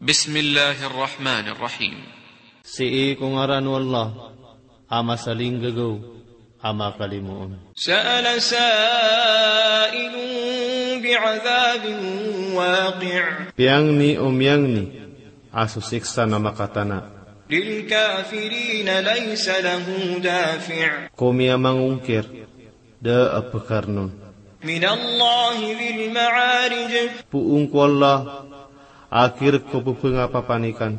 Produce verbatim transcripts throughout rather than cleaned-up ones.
Bismillahir Rahmanir Rahim. Sii ko ngaran o Allah, a masalinggagaw, a makalimoon. Sa'ala sa'ilun bi'adhabin waqi'. Piyangni o miyangni a so siksa na makatana. Lil kafirin laysa lahu dafi'. Ko miyamangongkir, da a pkarnon. Minallahi dhil ma'arij. Poon ko Allah a kirk ko pphangapapanikan.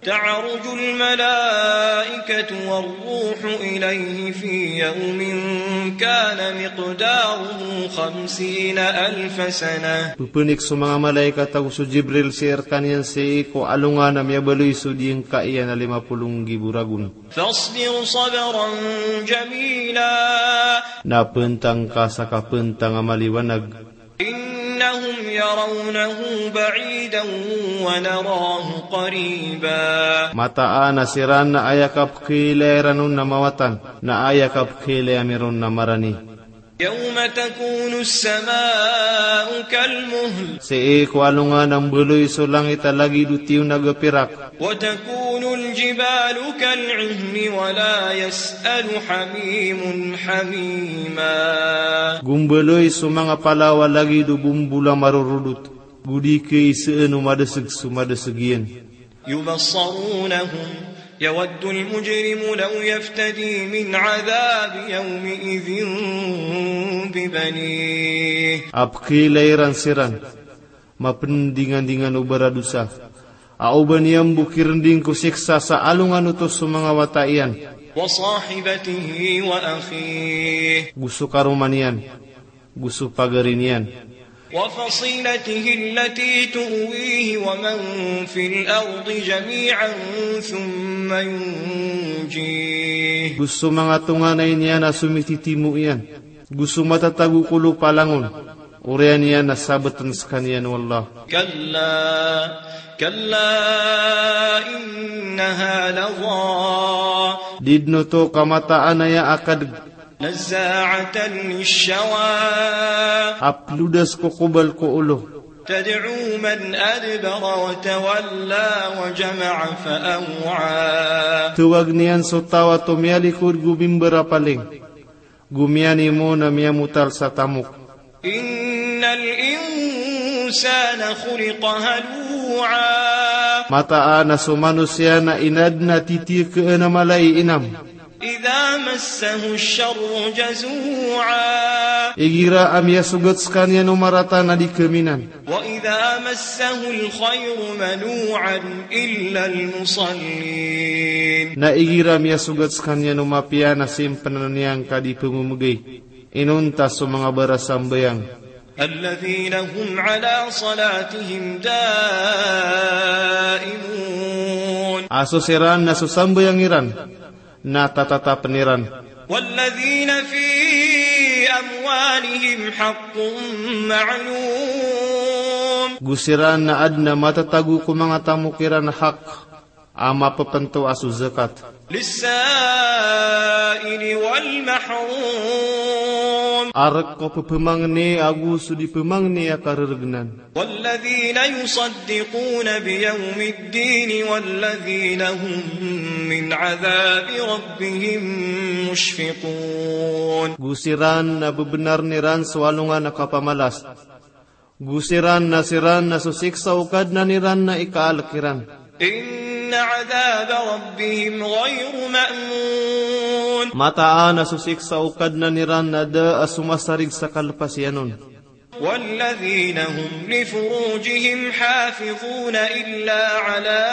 Ta'rujul malaikatu war ruhu ilayhi fi yawmin kana miqdaruhu khamsina alfa sanah. Pphnik so manga malaikat ago so Jibril sii rkaniyan sii ko alongan a miyabaloy so diyangka iyan a lima polo nggibo ragon. Fasbir sabran jamila. Na pntang ka sa kapntang a maliwanag. Innahum yarawnahu ba'idan wa narahu qariba. Mataan a siran na aya kapkhailay ran on na mawatan, na aya kapkhailay ami ron na marani. Yawma takunus sama'u kal muhl. Sii ko alongan a mbaloy so langit a lagid o tiyonaga pirak. Wa takunul jibalu kal ihni wa la yas'alu hamimun hamima. Go mbaloy so manga palaw a lagid o bombol a marorodot, go di khaisaan o madasg so madasg iyan. Yubassarunahum, yawaddul mujrimu law yaftadi min adhabi yawmi'idhin bibanih. A pkhailay ran siran, mapndingandingan o baradosa, a oba niyan bo kirnding ko siksa sa alongan oto so manga wata iyan. Wa sahibatihi wa akhih. Go so karoma niyan, go so pagari niyan. Wa fasilatihi allati tu'wihi wa man fil ardi jami'an thumma yunjih. Go so manga tonganay niyan a somititimo iyan, go so matatago ko lopa langon, oriyan iyan a sabtn skaniyan o Allah. Kalla, kalla innaha ladha. Di dn oto ka mataan aya a kadg. Nazza'atan lishawa. A plodas ko kobal ko olo. Tad'u man adbara wa tawalla wa jama'a fa aw'a. Tawag niyan so taw a tomiyalikod go mimbarapaling, go miyanimo na miyamotal sa tamok. Innal insana khuliqa halu'a. Mataan a so manosiya na inadn a titiyakn a mala i inam. Idha massahu ash-sharru jazu'a. Igira a miyasogat skaniyan o marata na di kaminan. Wa idha massahu al-khayru manu'an illa al-musallin. Na igira a miyasogat skaniyan o mapiya na simpnn iyan ka di pmomgay. Inonta so manga barasambayang. Alladhina hum ala salatihim daimun. A so siran na so sambayang iran na tatatapn iran. Walladhina fi amwalihim haqqun ma'lum. Go siran na adn a matatago ko manga tamok iran a hak a mapepento a so zakat. Lis-sa'ili wal mahrum. A rk ko pepemangni ago so di pemangni a karergnan. Walladhina yusaddiquna bi yawmid din walladhina hum min adhabi rabbihim mushfiqun. Go siran na bebenarn iran so alongan a kapamalas. Go siran na siran na so siksa o Kadnan iran na ikaalk iran. Inna adhaba rabbihim ghayru ma'mun. Mataan a so siksa o Kadnan iran na da a somasarig sa kalpasiyan on. Walladhina hum li furujihim hafidhun illa ala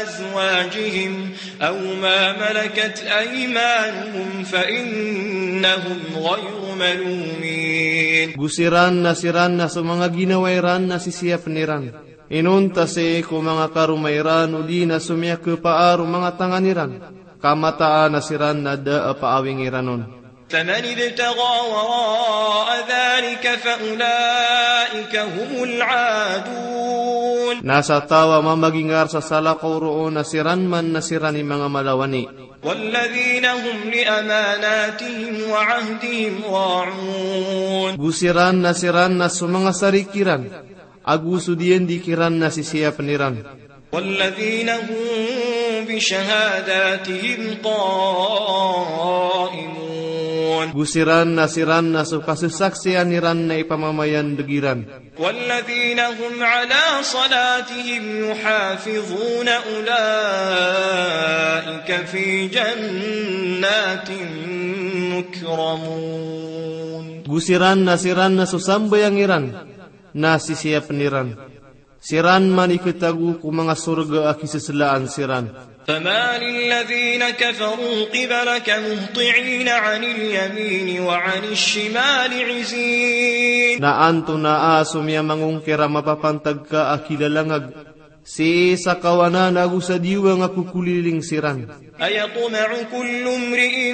azwajihim aw ma malakat aymanuhum fa innahum ghayru malumin. Go siran na siran na so manga ginawa iran na sisiyapn iran. Inonta sii ko manga karoma iran odi na so miyakhapaar o manga tangan iran, ka mataan a siran na da a paawing iran on. Faman ibtagha wara'a dhalika fa ulaika humul 'adun. Na sa taw a mamagingar sa salakaw roo na siran man na siran i manga malawani. Walladhina hum li amanatihim wa 'ahdihim ra'un. Go siran na siran na so manga sarik iran Ago so diyandi kiran na sisiyapn iran. والذين هم بشهاداتهم قائمون. Go siran na siran na so kasasaksian iran na ipamamayandg iran. والذين هم على صلاتهم يحافظون أولئك في جنات مكرمون. Go siran na siran na so sambayang iran na sisiyapn iran. Siran man i khatago ko manga sorga a kiseslaan siran. فمال الذين كفروا قبلك مهطعين عن اليمين وعن الشمال عزين. Na antonaa so miyamangongkir a mapapantag ka a kilalangag sii sa kawanan ago sa diwang a kokoliling siran? أيطمع كل امرئ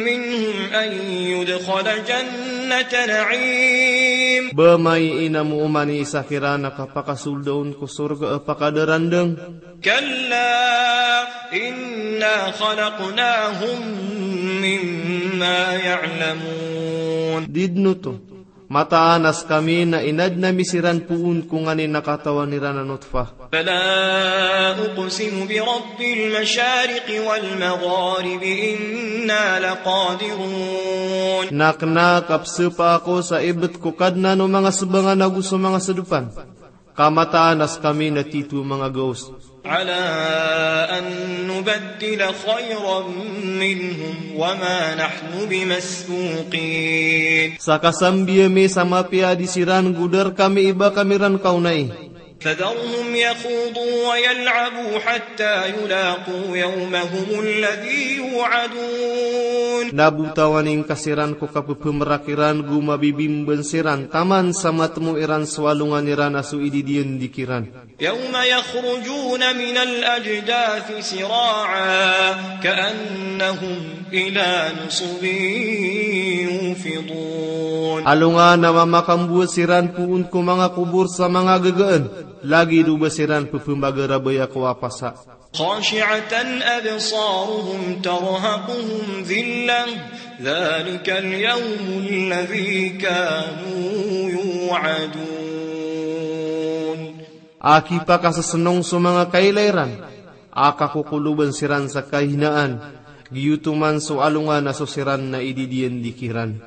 منهم أن يدخل جنة نعيم. Ba maiinam oman i isa kiran a kapakasold on ko sorga a pakadarandang? كلا إنا خلقناهم مما يعلمون. Di dn oto, mataan a skami na inadn ami siran poon ko nganin a katawan iran a notfah. فلا أقسم برب المشارق والمغارب إنا لقادرون. Na kna a kapsapa ako sa ibt ko Kadnan o manga sbangan ago so manga sdpan, ka mataan a skami na tito manga gaos. على أن نبدل خيرا منهم وما نحن بمسبوقين. Sa kasambi ami sa mapiya a di siran go da rkami i ba kami ran kaonai. فذرهم يخوضوا ويلعبوا حتى يلاقوا يومهم الذي يوعدون. Na botawan ingka siran ko kapphmrak iran go mabibimban siran taman sa matmo iran so alongan iran a so ididiyandi kiran. يوم يخرجون من الأجداث سراعا كأنهم إلى نصب يوفضون. Alongan a mamakambowat siran poon ko manga kobor sa manga gagaan, lagid o ba siran pphmbagarabaya ko apasa. خاشعة أبصارهم ترهقهم ذلة ذلك اليوم الذي كانوا يوعدون. A kipakasasnong so manga kaila iran, a kakokoloban siran sa kahinaan, giyoto man so alongan a so siran na ididiyandi kiran.